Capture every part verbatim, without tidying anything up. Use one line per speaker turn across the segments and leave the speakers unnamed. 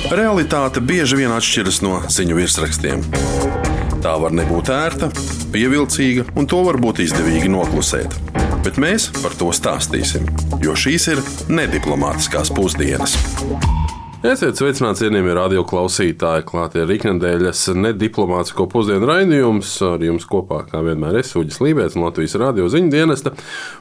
Realitāte bieži vien atšķiras no ziņu virsrakstiem. Tā var nebūt ērta, pievilcīga, un to var būt izdevīgi noklusēt. Bet mēs par to stāstīsim, jo šīs ir nediplomātiskās pusdienas. Esiet sveicināti, cienījamie radio klausītāji, klāt ir iknedēļas nediplomātisko pusdienu raidījums. Ar jums kopā, kā vienmēr, es Uģis Lībēts no Latvijas radio ziņu dienesta.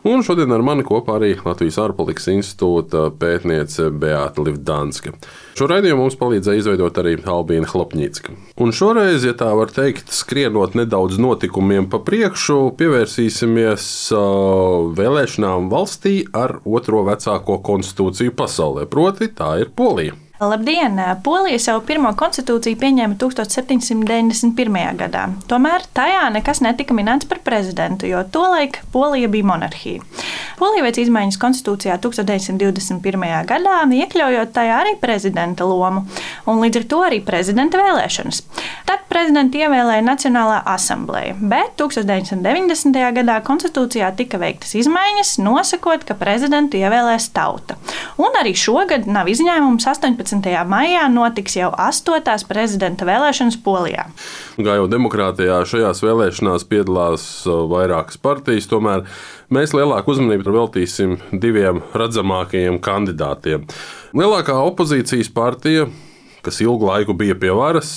Un šodien ar mani kopā arī Latvijas ārpolitikas institūta pētniece Beāta Livdanska. Šo raidījumu mums palīdzēja izveidot arī Albīna Hlopņicka. Un šoreiz, ja tā var teikt, skrienot nedaudz notikumiem pa priekšu, pievērsīsimies uh, vēlēšanām valstī ar otro vecāko konstitūciju pasaulē, proti tā ir Polija.
Labdien! Polija savu pirmo konstitūciju pieņēma tukstovs septiņsimt deviņdesmit pirmajā gadā. Tomēr tajā nekas netika minēts par prezidentu, jo tolaik Polija bija monarhija. Polija veica izmaiņas konstitūcijā tukstovs deviņsimt divdesmit pirmajā gadā, iekļaujot tajā arī prezidenta lomu, un līdz ar to arī prezidenta vēlēšanas. Tad prezidentu ievēlēja Nacionālā asambleja, bet tukstovs deviņsimt deviņdesmitajā gadā konstitūcijā tika veiktas izmaiņas, nosakot, ka prezidentu ievēlēs tauta. Un arī šogad nav izņēmums. astoņpadsmitajā maijā notiks jau astotās prezidenta vēlēšanas Polijā.
Kā jau demokrātijā šajās vēlēšanās piedalās vairākas partijas, tomēr mēs lielāku uzmanību veltīsim diviem redzamākajiem kandidātiem. Lielākā opozīcijas partija, kas ilgu laiku bija pie varas,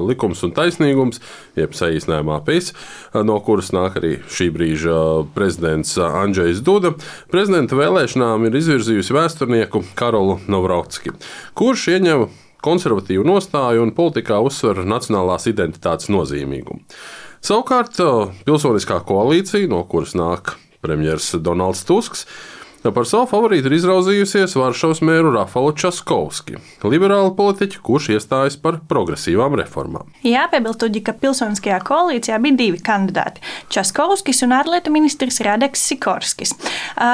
Likums un taisnīgums, jeb saīsinājumā P I S, no kuras nāk arī šī brīža prezidents Andžejs Duda, prezidenta vēlēšanām ir izvirzījusi vēsturnieku Karolu Navrocki, kurš ieņem konservatīvu nostāju un politikā uzsver nacionālās identitātes nozīmīgumu. Savukārt pilsoniskā koalīcija, no kuras nāk premjers Donalds Tusks, par savu favorītu ir izraudzījusies Varšavas mēru Rafalu Časkovski, liberālu politiķu, kurš iestājas par progresīvām reformām.
Jāpiebilst, ka pilsoniskajā koalīcijā bija divi kandidāti - Časkovskis un ārlietu ministrs Radeks Sikorskis.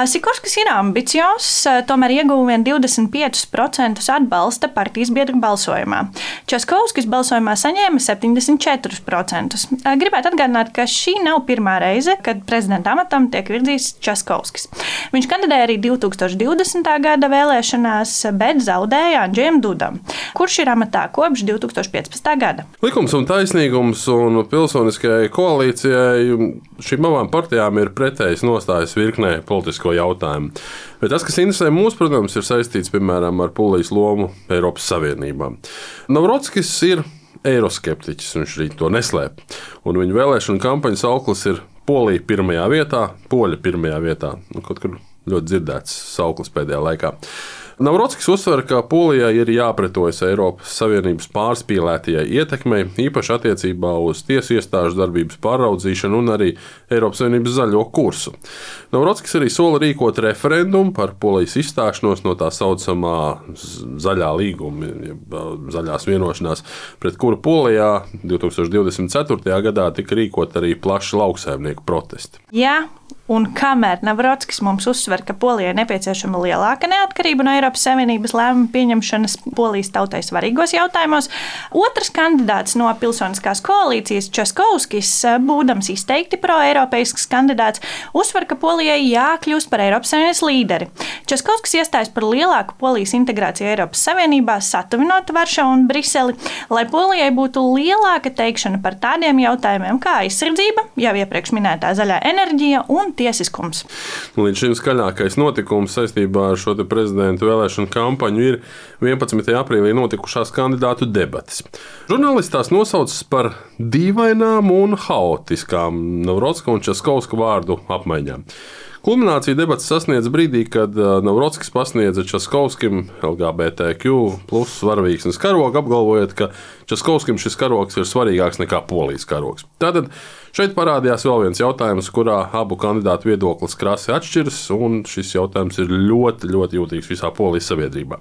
Sikorskis ir ambiciozs, tomēr ieguva vien divdesmit piecus procentus atbalsta partijas biedru balsojumā. Časkovskis balsojumā saņēma septiņdesmit četrus procentus. Gribētu atgādināt, ka šī nav pirmā reize, kad prezidenta amatam tiek virzīts Časkovskis. Viņš kandidēja arī divtūkstoš divdesmitā gada vēlēšanās, bet zaudēja Andžejam Dudam, kurš ir amatā kopš divtūkstoš piecpadsmitā gada.
Likums un taisnīgums un pilsoniskajai koalīcijai šīm abām partijām ir pretējas nostājas virknē politisko jautājumu. Bet tas, kas interesē mūs, protams, ir saistīts, piemēram, ar Polijas lomu Eiropas Savienībā. Navrocskis ir eiroskeptiķis, viņš arī to neslēp. Un viņa vēlēšana kampaņas auklis ir Polija pirmajā vietā, Poļa pirmajā vietā. Nu, kaut kur ļoti dzirdēts sauklis pēdējā laikā. Navrocskis uzsver, ka Polijai ir jāpretojas Eiropas Savienības pārspīlētajai ietekmei, īpaši attiecībā uz tiesu iestāžu darbības pāraudzīšanu un arī Eiropas Savienības zaļo kursu. Navrocskis arī sola rīkot referendumu par Polijas izstāšanos no tā saucamā zaļā līguma, jeb zaļās vienošanās, pret kuru Polijā divtūkstoš divdesmit ceturtajā gadā tika rīkot arī plaši lauksaimnieku protesti.
Jā. Un kamēr Navrocskis mums uzsver, ka Polijai nepieciešama lielāka neatkarība no Eiropas Savienības lēmumu pieņemšanas Polijas tautai svarīgos jautājumos, otrs kandidāts no pilsoniskās koalīcijas, Časkovskis, būdams izteikti pro-eiropeisks kandidāts, uzsver, ka Polijai jākļūst par Eiropas Savienības līderi. Časkovskis iestājas par lielāku Polijas integrāciju Eiropas Savienībā, satuvinot Varšavu un Briseli, lai Polijai būtu lielāka teikšana par tādiem jautājumiem kā aizsardzība, jau iepriekš minētā zaļā enerģija un tiesiskums.
Līdz šim skaļākais notikums saistībā ar šo prezidentu vēlēšanu kampaņu ir vienpadsmitajā aprīlī notikušās kandidātu debates. Žurnālisti tās nosaucas par dīvainām un haotiskām Navrocka un Časkovska vārdu apmaiņām. Kulminācija debates sasniedz brīdī, kad Navrocskis pasniedza Časkovskim L G B T Q plus varavīksnes karogu, apgalvojot, ka Časkovskim šis karogs ir svarīgāks nekā Polijas karogs. Tātad šeit parādījās vēl viens jautājums, kurā abu kandidātu viedoklis krasi atšķiras, un šis jautājums ir ļoti, ļoti jūtīgs visā Polijas sabiedrībā.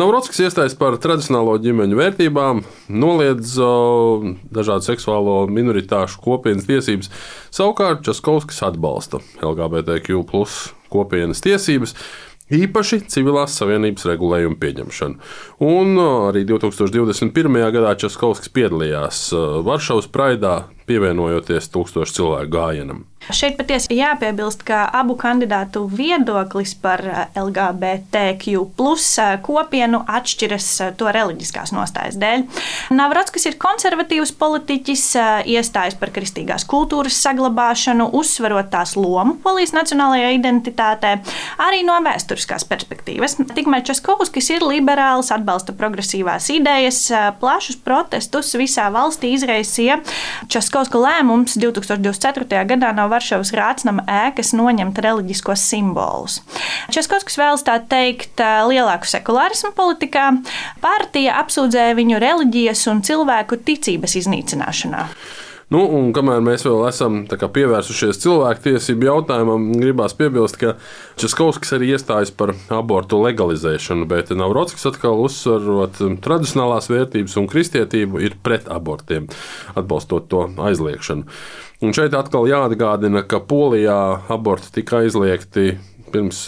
Navrocskis iestājas par tradicionālo ģimeņu vērtībām, noliedz uh, dažādu seksuālo minoritāšu kopienas tiesības, savukārt Časkovskis atbalsta L G B T Q plus kopienas tiesības, īpaši civilās savienības regulējumu pieņemšanu. Un arī divtūkstoš divdesmit pirmajā gadā Časkovskis piedalījās Varšavas praidā pievienojoties tūkstošu cilvēku gājienam.
Šeit patiesi jāpiebilst, ka abu kandidātu viedoklis par L G B T Q plus kopienu atšķiras to reliģiskās nostājas dēļ. Navrockis ir konservatīvs politiķis, iestājas par kristīgās kultūras saglabāšanu, uzsverot tās lomu Polijas nacionālajā identitātē, arī no vēsturiskās perspektīvas. Tikmēr Časkovskis ir liberāls, atbalsta progresīvās idejas, plašus protestus visā valstī izraisīja Časkovska lēmums divtūkstoš divdesmit ceturtajā gadā no Varšavas Rācnama ēkas noņemt reliģiskos simbolus. Časkovskis vēlas tā teikt lielāku sekulārismu politikā. Partija apsūdzēja viņu reliģijas un cilvēku ticības iznīcināšanā.
Nu, un kamēr mēs vēl esam kā, pievērsušies cilvēktiesību jautājumam, gribās piebilst, ka Časkovskis arī iestājas par abortu legalizēšanu, bet Navrockis atkal uzsverot tradicionālās vērtības un kristietību ir pret abortiem, atbalstot to aizliekšanu. Un šeit atkal jāatgādina, ka Polijā aborti tika aizliegti pirms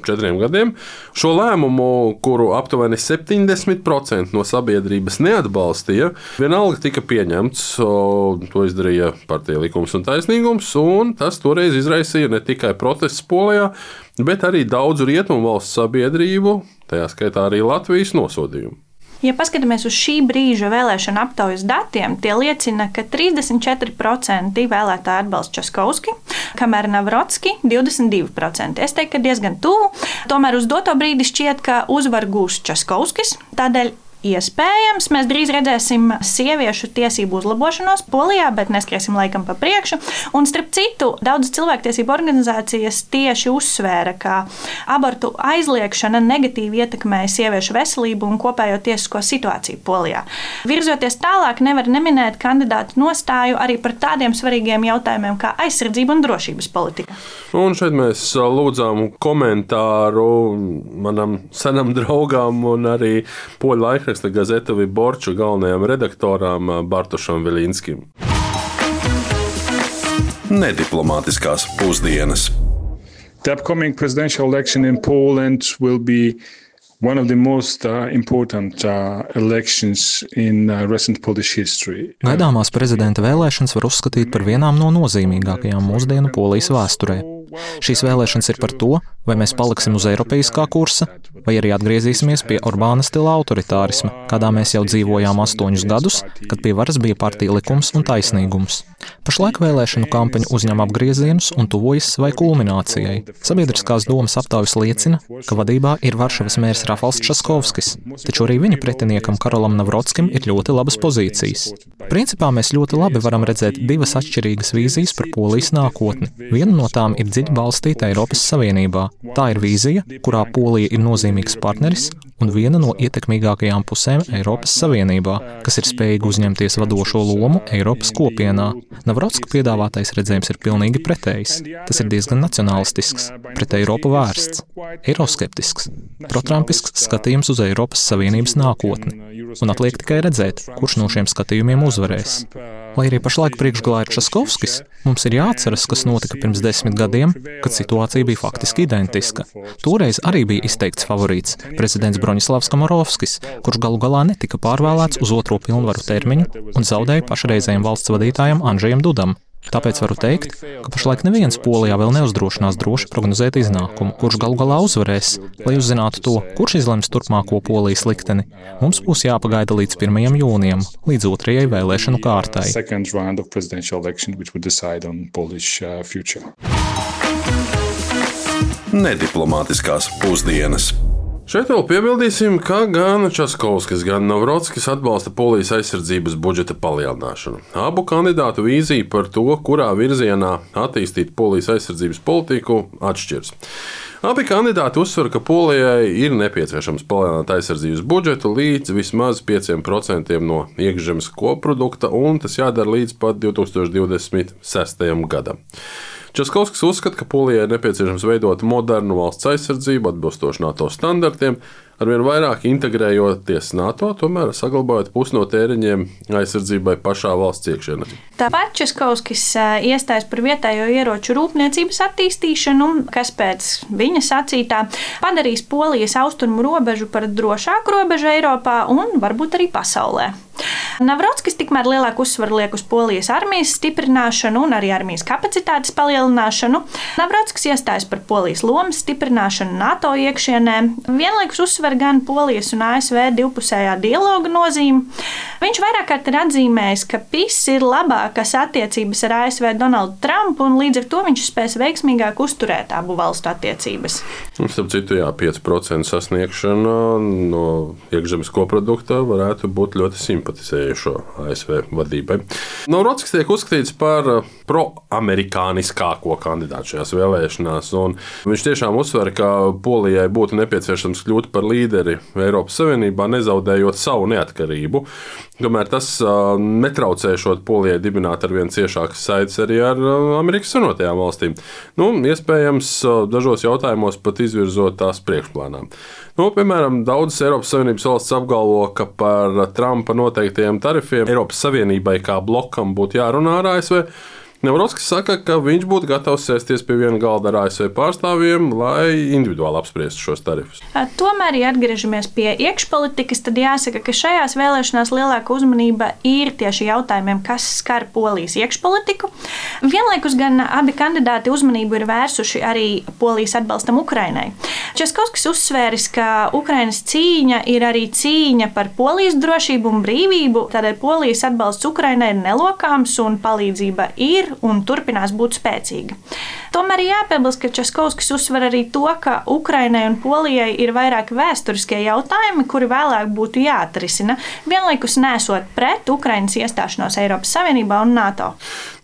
četriem gadiem. Šo lēmumu, kuru aptuveni septiņdesmit procenti no sabiedrības neatbalstīja, vienalga tika pieņemts. To izdarīja Partija Likums un taisnīgums, un tas toreiz izraisīja ne tikai protestus Polijā, bet arī daudzu rietumu valstu sabiedrību, tajā skaitā arī Latvijas nosodījumu.
Ja paskatāmies uz šī brīža vēlēšana aptaujas datiem, tie liecina, ka trīsdesmit četri procenti vēlētāji atbalsta Časkovski, kamēr Navrocki divdesmit divi procenti. Es teiktu, ka diezgan tuvu. Tomēr uz doto brīdi šķiet, ka uzvar gūs Časkovskis. Tādēļ iespējams, mēs drīz redzēsim sieviešu tiesību uzlabošanos Polijā, bet neskriesim laikam pa priekšu. Un starp citu, daudzas cilvēktiesību organizācijas tieši uzsvēra, ka abortu aizliekšana negatīvi ietekmēja sieviešu veselību un kopējo tiesisko situāciju Polijā. Virzoties tālāk, nevar neminēt kandidātu nostāju arī par tādiem svarīgiem jautājumiem kā aizsardzība un drošības politika.
Un šeit mēs lūdzām komentāru manam senam draugam un arī poļu laikraksta gazeta Viborču galvenajam redaktoram Bartošam Viļinskim. Nediplomātiskās pusdienas.
The upcoming presidential election in Poland will be one of the most uh, important uh, elections in uh, recent Polish history.
Gaidāmās prezidenta vēlēšanas var uzskatīt par vienām no nozīmīgākajām mūsdienu Polijas vēsturē. Šīs vēlēšanas ir par to, vai mēs paliksim uz eiropeiskā kursa, vai arī atgriezīsimies pie Orbāna stila autoritārisma, kādā mēs jau dzīvojām astoņus gadus, kad pie varas bija Partija Likums un taisnīgums. Pašlaik vēlēšanu kampaņa uzņem apgriezienus un tuvojas savai kulminācijai. Sabiedriskās domas aptaujas liecina, ka vadībā ir Varšavas mērs Rafals Časkovskis, taču arī viņa pretiniekam Karolam Navrockim ir ļoti labas pozīcijas. Principā mēs ļoti labi varam redzēt divas atšķirīgas vīzijas par Polijas nākotni. Viena no tām ir dziļi balstīta Eiropas Savienībā. Tā ir vīzija, kurā Polija ir nozīmīgs partneris un viena no ietekmīgākajām pusēm Eiropas Savienībā, kas ir spējīga uzņemties vadošo lomu Eiropas kopienā. Navrocka piedāvātais redzējums ir pilnīgi pretējs. Tas ir diezgan nacionālistisks, pret Eiropu vērsts, eiroskeptisks, protrampisks skatījums uz Eiropas Savienības nākotni. Un atliek tikai redzēt, kurš no šiem skatījumiem uzvarēs. Lai arī pašlaik priekšgalā ir Časkovskis, mums ir jāatceras, kas notika pirms desmit gadiem, kad situācija bija faktiski identiska. Toreiz arī bija izteikts favorīts prezidents Broņislavs Komorovskis, kurš galu galā netika pārvēlēts uz otro pilnvaru termiņu un zaudēja pašreizējiem valsts vadītājam Andžejam Dudam. Tāpēc varu teikt, ka pašlaik neviens Polijā vēl neuzdrošinās droši prognozēt iznākumu, kurš galu galā uzvarēs. Lai uzzinātu to, kurš izlems turpmāko Polijas likteni, mums būs jāpagaida līdz pirmajam jūnijam, līdz otrajai vēlēšanu kārtai.
Nediplomātiskās pusdienas. Šeit vēl piebildīsim, ka gan Časkovskis, gan Navrockis atbalsta Polijas aizsardzības budžeta palielināšanu. Abu kandidātu vīzija par to, kurā virzienā attīstīt Polijas aizsardzības politiku, atšķiras. Abi kandidāti uzsver, ka Polijai ir nepieciešams palielināt aizsardzības budžetu līdz vismaz pieciem procentiem no iekšzemes koprodukta, un tas jādara līdz pat divtūkstoš divdesmit sestajam gadam. Časkovskis uzskata, ka Polijai ir nepieciešams veidot modernu valsts aizsardzību atbilstoši NATO standartiem, arvien vairāk integrējoties NATO, tomēr saglabājot pusi no tēriņiem aizsardzībai pašā valsts iekšienē.
Tāpat Časkovskis iestājas par vietējo ieroču rūpniecības attīstīšanu, kas pēc viņa sacītā padarīs Polijas austrumu robežu par drošāku robežu Eiropā un varbūt arī pasaulē. Navrockis tikmēr lielāku uzsvaru liek uz Polijas armijas stiprināšanu un arī armijas kapacitātes palielināšanu. Navrockis iestājas par Polijas lomas stiprināšanu NATO iekšienē, vienlaikus uzsver gan Polijas un A S V divpusējā dialoga nozīmi. Viņš vairāk kārt ir atzīmējis, ka P I S ir labākas attiecības ar A S V Donaldu Trumpu, un līdz ar to viņš spēs veiksmīgāk uzturēt abu valstu attiecības.
Starp citu, jā, pieci procenti sasniegšana no iekšzemes koprodukta varētu būt ļoti simpatizējušo A S V vadībai. Navrockis tiek uzskatīts par proamerikāniskāko kandidātu šajās vēlēšanās, un viņš tiešām uzsver, ka Polijai būtu nepieciešams kļūt par līderi Eiropas Savienībā, nezaudējot savu neatkarību. Tomēr tas uh, netraucēšot Polijai dibināt ar vien ciešākas saites arī ar uh, Amerikas Savienotajām valstīm. Nu, iespējams, uh, dažos jautājumos pat izvirzot tās priekšplānā. Nu, piemēram, daudzas Eiropas Savienības valsts apgalvo, ka par Trumpa noteiktajiem tarifiem Eiropas Savienībai kā blokam būtu jārunā ar A S V. Navrockis saka, ka viņš būtu gatavs sēsties pie viena galda ar A S V pārstāvjiem, lai individuāli apspriestu šos tarifus.
Tomēr, ja atgriežamies pie iekšpolitikas, tad jāsaka, ka šajās vēlēšanās lielāka uzmanība ir tieši jautājumiem, kas skar Polijas iekšpolitiku. Vienlaikus gan abi kandidāti uzmanību ir vērsuši arī Polijas atbalstam Ukrainai. Českovskis uzsvēris, ka Ukrainas cīņa ir arī cīņa par Polijas drošību un brīvību, tādēļ Polijas atbalsts Ukrainai ir nelokāms un palīdzība ir un turpinās būt spēcīga. Tomēr jāpiebilst, ka Českovskis uzsver arī to, ka Ukrainai un Polijai ir vairāk vēsturiskie jautājumi, kuri vēlāk būtu jāatrisina, vienlaikus nesot pret Ukrainas iestāšanos Eiropas Savienībā un NATO.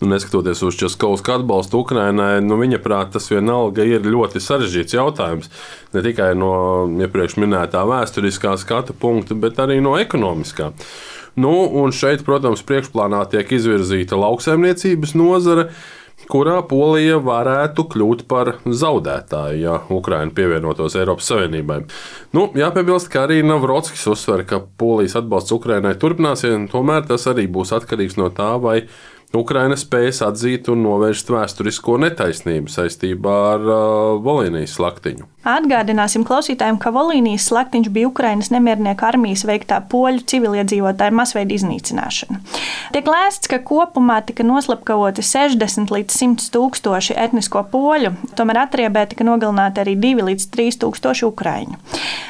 Nu, neskatoties uz Českovska atbalstu Ukrainai, nu, viņa prāt tas vienalga ir ļoti sarežģīts jautājums. Ne tikai no iepriekš minētā vēsturiskā skatu punkta, bet arī no ekonomiskā. Nu, un šeit, protams, priekšplānā tiek izvirzīta lauksaimniecības nozare, kurā Polija varētu kļūt par zaudētāju, ja Ukraina pievienotos Eiropas Savienībai. Nu, jāpiebilst, ka arī Navrockis uzsver, ka Polijas atbalsts Ukrainai turpināsies, tomēr tas arī būs atkarīgs no tā, vai Ukraina spējas atzīt un novērst vēsturisko netaisnību saistībā ar uh, Volīnijas slaktiņu.
Atgādināsim klausītājiem, ka Volīnijas slaktiņš bija Ukrainas nemiernieku armijas veiktā poļu civiliedzīvotāju masveida iznīcināšana. Tiek lēsts, ka kopumā tika noslepkavoti sešdesmit līdz simt tūkstoši etnisko poļu, tomēr atriebē tika nogalināti arī divi līdz trīs tūkstoši ukraiņu.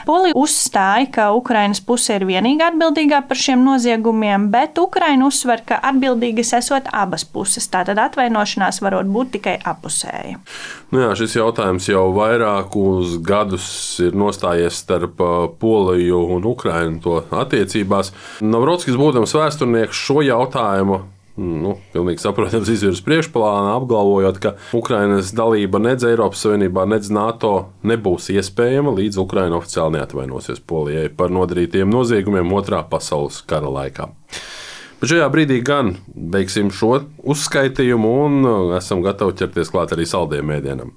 Polija uzstāja, ka Ukrainas puse ir vienīgā atbildīgā par šiem noziegumiem, bet Ukraina uzsver, ka atbildīgas esot abas puses, tātad atvainošanās varot būt tikai apusēja.
Nu jā, šis jautājums jau vairākus gadus ir nostājies starp Poliju un Ukrainu to attiecībās. Navrockis, būdams vēsturnieks, šo jautājumu nu, pilnīgi saprotams izvirs priekšplānā, apgalvojot, ka Ukrainas dalība nedz Eiropas Savienībā, nedz NATO nebūs iespējama, līdz Ukraina oficiāli neatvainosies Polijai par nodarītiem noziegumiem Otrā pasaules kara laikā. Bet šajā brīdī gan beigsim šo uzskaitījumu un esam gatavi ķerties klāt arī saldiem ēdienam.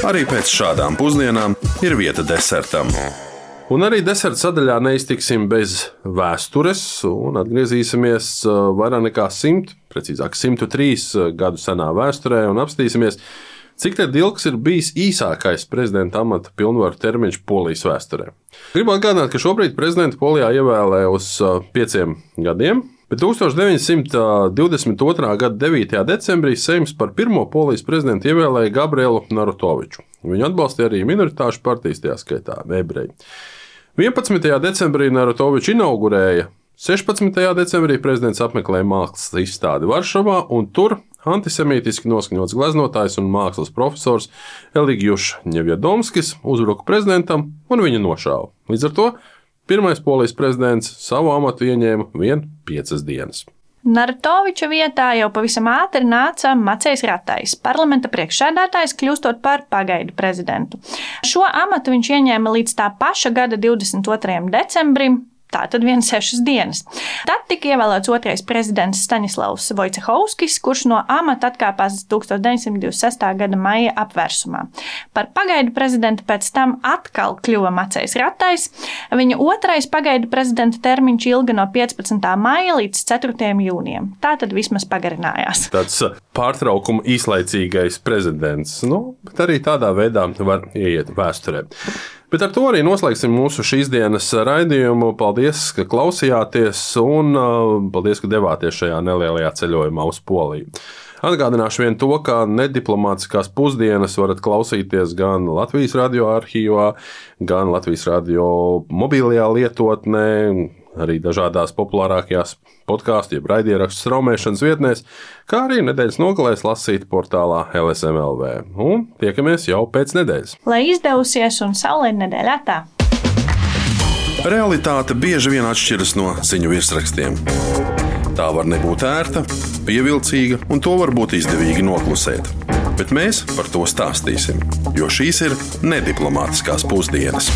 Arī pēc šādām pusdienām ir vieta desertam.
Un arī deserta sadaļā neiztiksim bez vēstures un atgriezīsimies vairāk nekā simt, precīzāk simtu trīs gadu senā vēsturē un apstīsimies, cik tad ilgs ir bijis īsākais prezidenta amata pilnvaru termiņš Polijas vēsturē. Gribu atgādināt, ka šobrīd prezidenta Polijā ievēlē uz pieciem gadiem, bet tūkstoš deviņsimt divdesmit otrā gada devītajā decembrī Seims par pirmo Polijas prezidentu ievēlēja Gabrielu Narutoviču. Viņu atbalstīja arī minoritāšu partijas, tajā skaitā ebreji. vienpadsmitajā decembrī Narutoviču inaugurēja, sešpadsmitajā decembrī prezidents apmeklēja mākslas izstādi Varšavā, un tur antisemītiski noskaņots gleznotājs un mākslas profesors Eligijus Ņevjadomskis uzbruka prezidentam un viņu nošāva. Līdz ar to pirmais Polijas prezidents savu amatu ieņēma vien piecas dienas.
Narutoviča vietā jau pavisam ātri nāca Macejs Ratais, parlamenta priekšsēdētājs, kļūstot par pagaidu prezidentu. Šo amatu viņš ieņēma līdz tā paša gada divdesmit otrajam decembrim, tātad vien sešas dienas. Tad tika ievēlēts otrais prezidents Staņislavs Vojcehovskis, kurš no amata atkāpās tūkstoš deviņsimt divdesmit sestā gada maija apvērsumā. Par pagaidu prezidentu pēc tam atkal kļuva Macejs Ratais. Viņa otrais pagaidu prezidenta termiņš ilga no piecpadsmitā maija līdz ceturtajam jūnijam. Tātad vismaz pagarinājās.
Tāds pārtraukuma īslaicīgais prezidents. Nu, bet arī tādā veidā var ieiet vēsturē. Bet ar to arī noslēgsim mūsu šīs dienas raidījumu. Paldies, ka klausījāties, un paldies, ka devāties šajā nelielajā ceļojumā uz Poliju. Atgādināšu vien to, ka nediplomātiskās pusdienas varat klausīties gan Latvijas radio arhīvā, gan Latvijas radio mobilajā lietotnē, arī dažādās populārākajās podkāstu, jeb raidierakstu straumēšanas vietnēs, kā arī nedēļas nogalēs lasīt portālā L S M L V. Un tiekamies jau pēc nedēļas.
Lai izdevusies un saulaina nedēļā tā!
Realitāte bieži vien atšķiras no ziņu virsrakstiem. Tā var nebūt ērta, pievilcīga, un to var būt izdevīgi noklusēt. Bet mēs par to stāstīsim, jo šīs ir nediplomātiskās pusdienas.